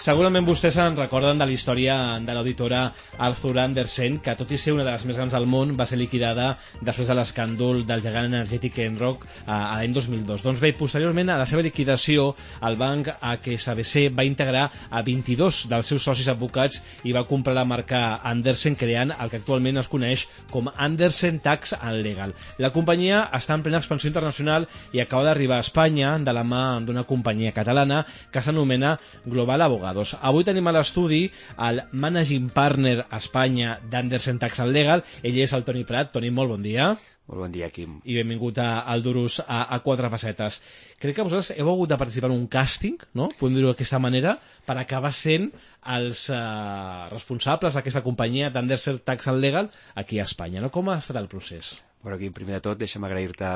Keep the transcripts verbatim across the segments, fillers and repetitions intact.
Segurament vostès se'n recorden de la història de l'auditora Arthur Andersen, que tot i ser una de les més grans del món, va ser liquidada després de l'escàndol del gegant energètic Enroc a l'any dos mil dos. Doncs bé, posteriorment a la seva liquidació, el banc H S B C va integrar a vint-i-dos dels seus socis advocats i va comprar la marca Andersen, creant el que actualment es coneix com Andersen Tax and Legal. La companyia està en plena expansió internacional i acaba d'arribar a Espanya de la mà d'una companyia catalana que s'anomena Global Abogados. Avui tenim a l'estudi el Managing Partner a Espanya d'Andersen Tax and Legal. Ell és el Toni Prat. Toni, molt bon dia. Molt bon dia, Quim. I benvingut a, al Duros a, a quatre pessetes. Crec que vosaltres heu hagut de participar en un càsting, no? Podem dir-ho d'aquesta manera, per acabar sent els eh, responsables d'aquesta companyia d'Andersen Tax and Legal aquí a Espanya, no? Com ha estat el procés? Bueno, Quim, primer de tot, deixa'm agrair-te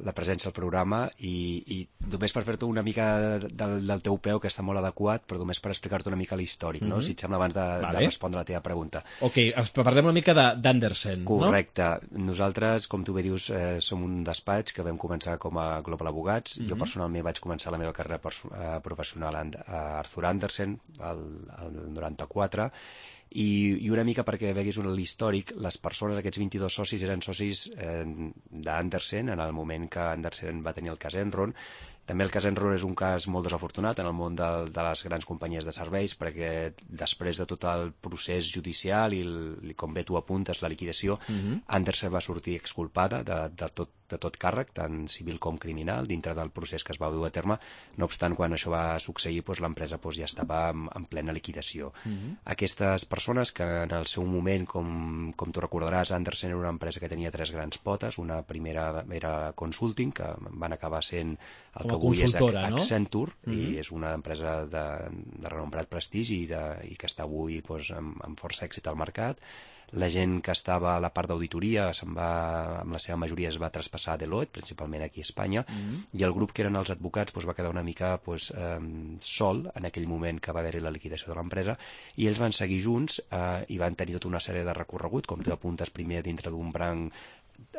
la presència al programa i, i només per fer-te una mica del, del teu peu, que està molt adequat, però només per explicar-te una mica l'històric, no? Mm-hmm. Si et sembla, abans de, vale. de respondre la teva pregunta. Ok, parlem una mica d'Andersen, no? Correcte. Nosaltres, com tu bé dius, eh, som un despatx que vam començar com a Global Abogats. Mm-hmm. Jo personalment vaig començar la meva carrera eh, professional a Arthur Andersen, el, el noranta-quatre, I, i una mica perquè veguis l'històric, les persones, aquests vint-i-dos socis, eren socis eh, d'Andersen en el moment que Andersen va tenir el cas Enron. També el cas Enron és un cas molt desafortunat en el món de, de les grans companyies de serveis, perquè després de tot el procés judicial i, el, i com bé tu apuntes, la liquidació, mm-hmm. Andersen va sortir exculpada de, de, tot, de tot càrrec, tant civil com criminal, dintre del procés que es va dur a terme. No obstant, quan això va succeir, doncs, l'empresa doncs, ja estava en, en plena liquidació. Mm-hmm. Aquestes persones que en el seu moment, com, com tu recordaràs, Andersen era una empresa que tenia tres grans potes. Una primera era Consulting, que van acabar sent el que avui és Accenture, no? I és una empresa de, de renombrat prestigi i, de, i que està avui doncs, amb, amb força èxit al mercat. La gent que estava a la part d'auditoria se'n va, amb la seva majoria es va traspassar a Deloitte, principalment aquí a Espanya, mm-hmm. i el grup que eren els advocats doncs, va quedar una mica doncs, eh, sol en aquell moment que va haver-hi la liquidació de l'empresa, i ells van seguir junts eh, i van tenir tota una sèrie de recorregut, com tu apuntes, primer dintre d'un branc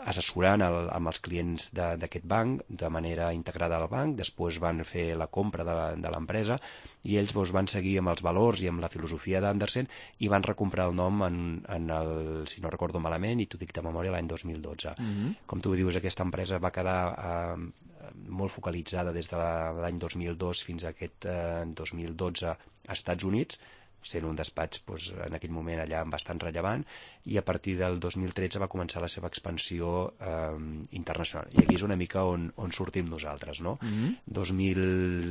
assessorant el, amb els clients d'aquest banc de manera integrada al banc. Després van fer la compra de l'empresa i ells doncs, van seguir amb els valors i amb la filosofia d'Andersen i van recomprar el nom en, en el, si no recordo malament, i t'ho dic de memòria, l'any dos mil dotze. Mm-hmm. Com tu dius, aquesta empresa va quedar eh, molt focalitzada des de l'any dos mil dos fins a aquest eh, dos mil dotze als Estats Units, sent un despatx doncs, en aquell moment allà bastant rellevant, i a partir del dos mil tretze va començar la seva expansió eh, internacional. I aquí és una mica on, on sortim nosaltres, no? Mm-hmm. dos mil...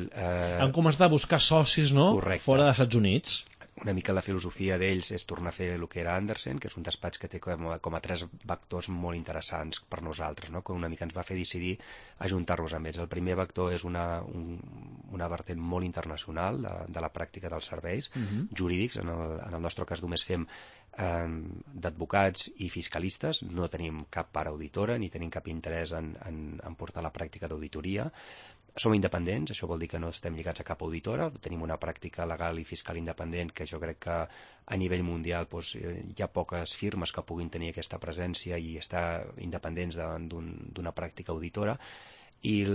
Eh... Han començat a buscar socis, no? Correcte. Fora dels Estats Units. Una mica la filosofia d'ells és tornar a fer el que era Andersen, que és un despatx que té com a, com a tres vectors molt interessants per nosaltres, no? Que una mica ens va fer decidir ajuntar-nos amb ells. El primer vector és una, un, una vertent molt internacional de, de la pràctica dels serveis mm-hmm. jurídics. En el, en el nostre cas només fem eh, d'advocats i fiscalistes, no tenim cap part auditora ni tenim cap interès en, en, en portar la pràctica d'auditoria. Som independents, això vol dir que no estem lligats a cap auditora, tenim una pràctica legal i fiscal independent que jo crec que a nivell mundial doncs, hi ha poques firmes que puguin tenir aquesta presència i estar independents d'una pràctica auditora. I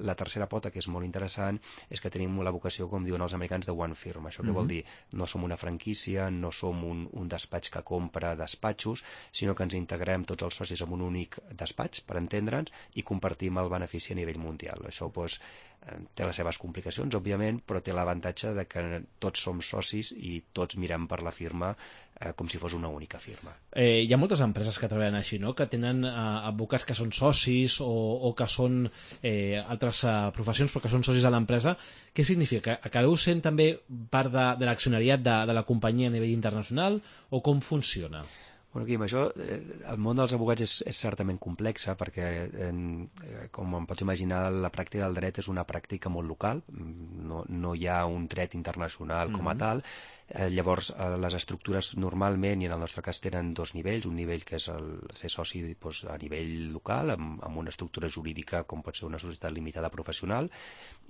la tercera pota, que és molt interessant, és que tenim la vocació, com diuen els americans, de one firm. Això què mm-hmm. vol dir? No som una franquícia, no som un, un despatx que compra despatxos, sinó que ens integrem tots els socis en un únic despatx, per entendre'ns, i compartim el benefici a nivell mundial. Això doncs, té les seves complicacions, òbviament, però té l'avantatge de que tots som socis i tots mirem per la firma eh, com si fos una única firma. Eh, hi ha moltes empreses que treballen així, no? Que tenen eh, advocats que són socis o, o que són eh, altres eh, professions però que són socis de l'empresa. Què significa? Que acabeu sent també part de, de l'accionariat de, de la companyia a nivell internacional o com funciona? Bueno, Quim, això, eh, el món dels advocats és, és certament complexa perquè, eh, com em pots imaginar, la pràctica del dret és una pràctica molt local, no, no hi ha un dret internacional com a tal. Eh, llavors, eh, les estructures normalment, i en el nostre cas tenen dos nivells, un nivell que és el ser soci doncs, a nivell local, amb, amb una estructura jurídica com pot ser una societat limitada professional,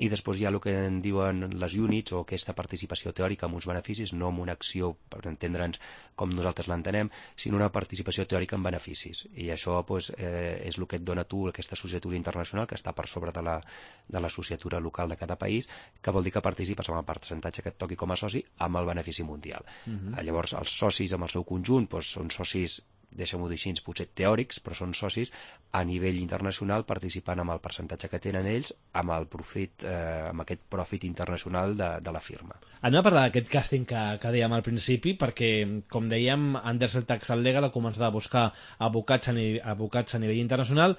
i després hi ha el que en diuen les units o aquesta participació teòrica amb uns beneficis, no amb una acció, per entendre'ns com nosaltres l'entenem, sinó una participació teòrica amb beneficis. I això doncs, eh, és el que et dona tu aquesta societat internacional que està per sobre de la, de la societat local de cada país, que vol dir que participes amb el percentatge que et toqui com a soci amb el benefici mundial. Uh-huh. Llavors, els socis amb el seu conjunt doncs, són socis, deixem-ho dir així, potser teòrics, però són socis a nivell internacional participant amb el percentatge que tenen ells amb el profit, eh, amb aquest profit internacional de, de la firma. Anem a parlar d'aquest càsting que, que dèiem al principi, perquè, com dèiem, Andersen Tax Legal ha començat a buscar advocats a, ni, advocats a nivell internacional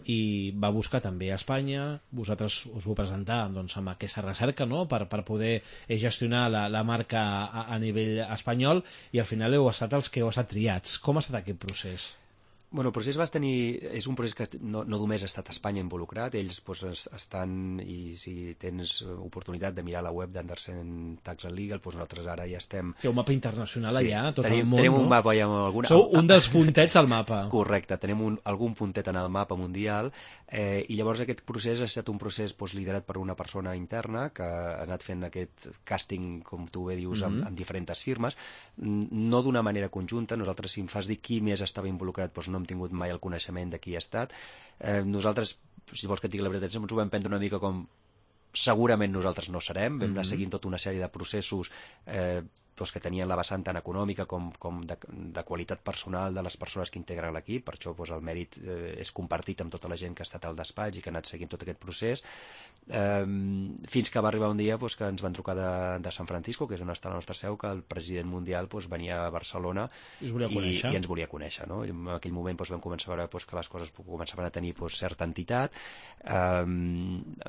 i va buscar també a Espanya. Vosaltres us vau presentar doncs, amb aquesta recerca, no?, per, per poder gestionar la, la marca a, a nivell espanyol, i al final heu estat els que heu estat triats. Com ha estat aquest procés? Bueno, el procés va tenir... És un procés que no, no només ha estat Espanya involucrat, ells doncs, estan, i si tens oportunitat de mirar la web d'Andersen Tax Legal, doncs nosaltres ara ja estem... Sí, un mapa internacional sí, allà, tot tenim, el món, tenim no? un mapa ja amb alguna... Sou un dels puntets al mapa. Correcte, tenim un, algun puntet en el mapa mundial, eh, i llavors aquest procés ha estat un procés doncs, liderat per una persona interna que ha anat fent aquest càsting, com tu bé dius, mm-hmm. amb, amb diferents firmes, no d'una manera conjunta. Nosaltres, si em fas dir qui més estava involucrat, doncs no hem tingut mai el coneixement de qui ha estat. Eh, nosaltres, si vols que et digui la veritat, ens ho vam prendre una mica com segurament nosaltres no serem. Vam anar seguint tota una sèrie de processos eh, doncs que tenien la vessant tant econòmica com, com de, de qualitat personal de les persones que integren l'equip. Per això doncs, el mèrit eh, és compartit amb tota la gent que ha estat al despatx i que ha anat seguint tot aquest procés, eh, fins que va arribar un dia doncs, que ens van trucar de, de San Francisco, que és on està la nostra seu, que el president mundial doncs, venia a Barcelona i, i, i ens volia conèixer, no? I en aquell moment doncs, vam començar a veure doncs, que les coses començaven a tenir doncs, certa entitat. Eh,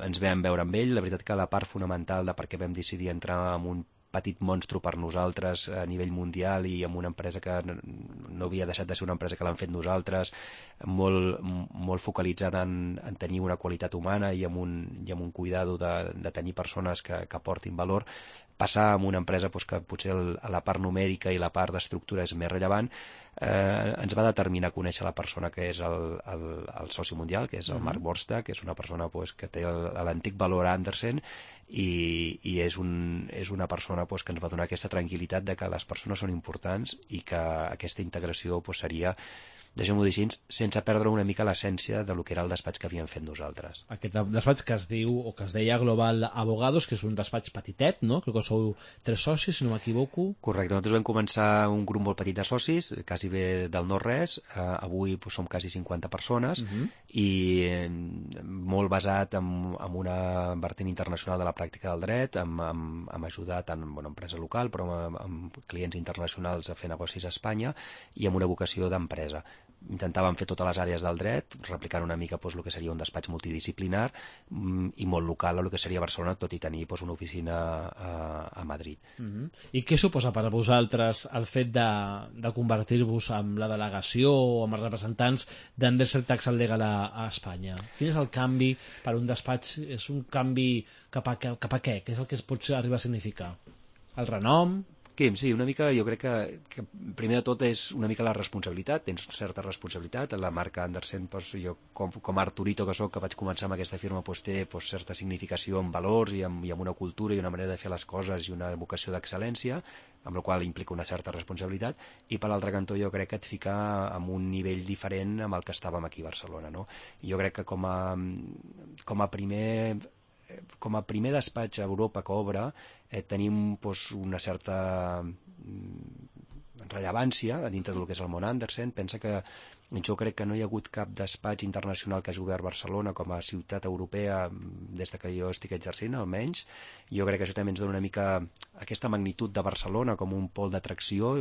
ens vam veure amb ell. La veritat que la part fonamental de per què vam decidir entrar en un petit monstru per nosaltres a nivell mundial i amb una empresa que no havia deixat de ser una empresa que l'han fet nosaltres, molt, molt focalitzada en, en tenir una qualitat humana i amb un, i amb un cuidado de, de tenir persones que, que aportin valor, passar a una empresa doncs, que potser el, la part numèrica i la part d'estructura és més rellevant, eh, ens va determinar a conèixer la persona que és el, el, el soci mundial, que és el uh-huh. Marc Borsta, que és una persona doncs, que té l'antic valor Andersen, i, i és, un, és una persona doncs, que ens va donar aquesta tranquil·litat de que les persones són importants i que aquesta integració doncs, seria, deixem-ho dir així, sense perdre una mica l'essència de lo que era el despatx que havíem fet nosaltres. Aquest despatx que es diu, o que es deia Global Abogados, que és un despatx petitet, no? Crec que sou tres socis, si no m'equivoco. Correcte, nosaltres vam començar un grup molt petit de socis, quasi bé del no-res, eh, avui doncs, som quasi cinquanta persones, uh-huh. i eh, molt basat en, en una vertent internacional de la pràctica del dret, amb, amb, amb ajudar tant en una empresa local, però amb, amb clients internacionals a fer negocis a Espanya, i amb una vocació d'empresa. Intentàvem fer totes les àrees del dret, replicant una mica doncs, el que seria un despatx multidisciplinar i molt local a el que seria Barcelona, tot i tenir doncs, una oficina a, a Madrid. Uh-huh. I què suposa per a vosaltres el fet de, de convertir-vos en la delegació o amb els representants d'Andersen Tax Legal a, a Espanya? Quin és el canvi per un despatx? És un canvi cap a, cap a què? Què és el que es pot arribar a significar? El renom? Quim, sí, una mica, jo crec que, que primer de tot és una mica la responsabilitat, tens certa responsabilitat, la marca Andersen, doncs, jo com, com a Arturito que soc, que vaig començar amb aquesta firma, doncs, té doncs, certa significació en valors i amb, i amb una cultura i una manera de fer les coses i una vocació d'excel·lència, amb la qual implica una certa responsabilitat, i per l'altre cantó jo crec que et fica en un nivell diferent amb el que estàvem aquí a Barcelona, no? Jo crec que com a, com a primer... com a primer despatx a Europa que obre, eh, tenim doncs, una certa rellevància a dintre del que és el món Andersen. Pensa que jo crec que no hi ha hagut cap despatx internacional que hagi obert Barcelona com a ciutat europea des de que jo estic exercint, almenys. Jo crec que això també ens dona una mica aquesta magnitud de Barcelona com un pol d'atracció,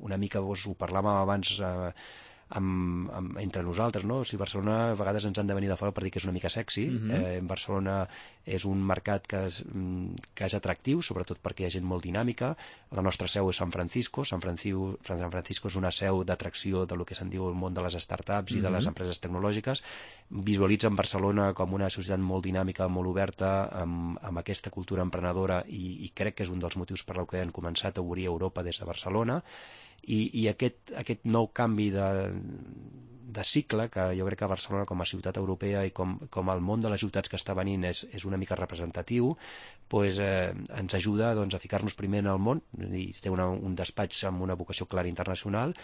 una mica, doncs, ho parlàvem abans, eh, amb, amb, entre nosaltres, no? O sigui, Barcelona a vegades ens han de venir de fora per dir que és una mica sexy. Uh-huh. eh, Barcelona és un mercat que és, que és atractiu, sobretot perquè hi ha gent molt dinàmica. La nostra seu és San Francisco. San Francisco, San Francisco és una seu d'atracció de lo que se'n diu el món de les startups uh-huh. i de les empreses tecnològiques. Visualitzen Barcelona com una societat molt dinàmica, molt oberta, amb, amb aquesta cultura emprenedora, i, i crec que és un dels motius per la que han començat a obrir Europa des de Barcelona. I, i aquest, aquest nou canvi de, de cicle, que jo crec que Barcelona com a ciutat europea i com, com el món de les ciutats que està venint és, és una mica representatiu, pues, eh, ens ajuda doncs, a ficar-nos primer en el món, i té una, un despatx amb una vocació clara internacional,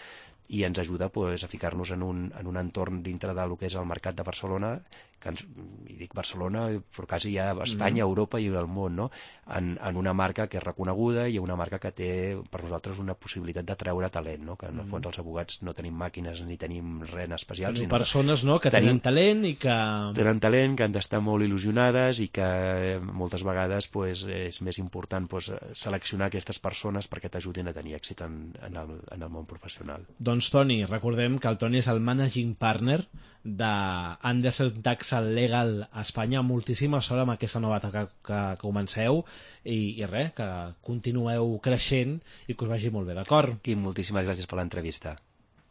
i ens ajuda pues, a ficar-nos en un, en un entorn dintre del que és el mercat de Barcelona, que ens, i dic Barcelona, però quasi ja Espanya, mm. Europa i el món, no? en, en una marca que és reconeguda i una marca que té per nosaltres una possibilitat de treure talent, no? Que en el fons els abogats no tenim màquines ni tenim res especial. Tenim persones no? que tenen talent i que... Tenen talent, que han d'estar molt il·lusionades i que moltes vegades pues, és més important pues, seleccionar aquestes persones perquè t'ajudin a tenir èxit en, en, el, en el món professional. Doncs Toni, recordem que el Toni és el managing partner d'Andersen Tax Legal a Espanya. Moltíssima sort amb aquesta nova etapa que, que comenceu i, i res, que continueu creixent i que us vagi molt bé, d'acord? I moltíssimes gràcies per l'entrevista.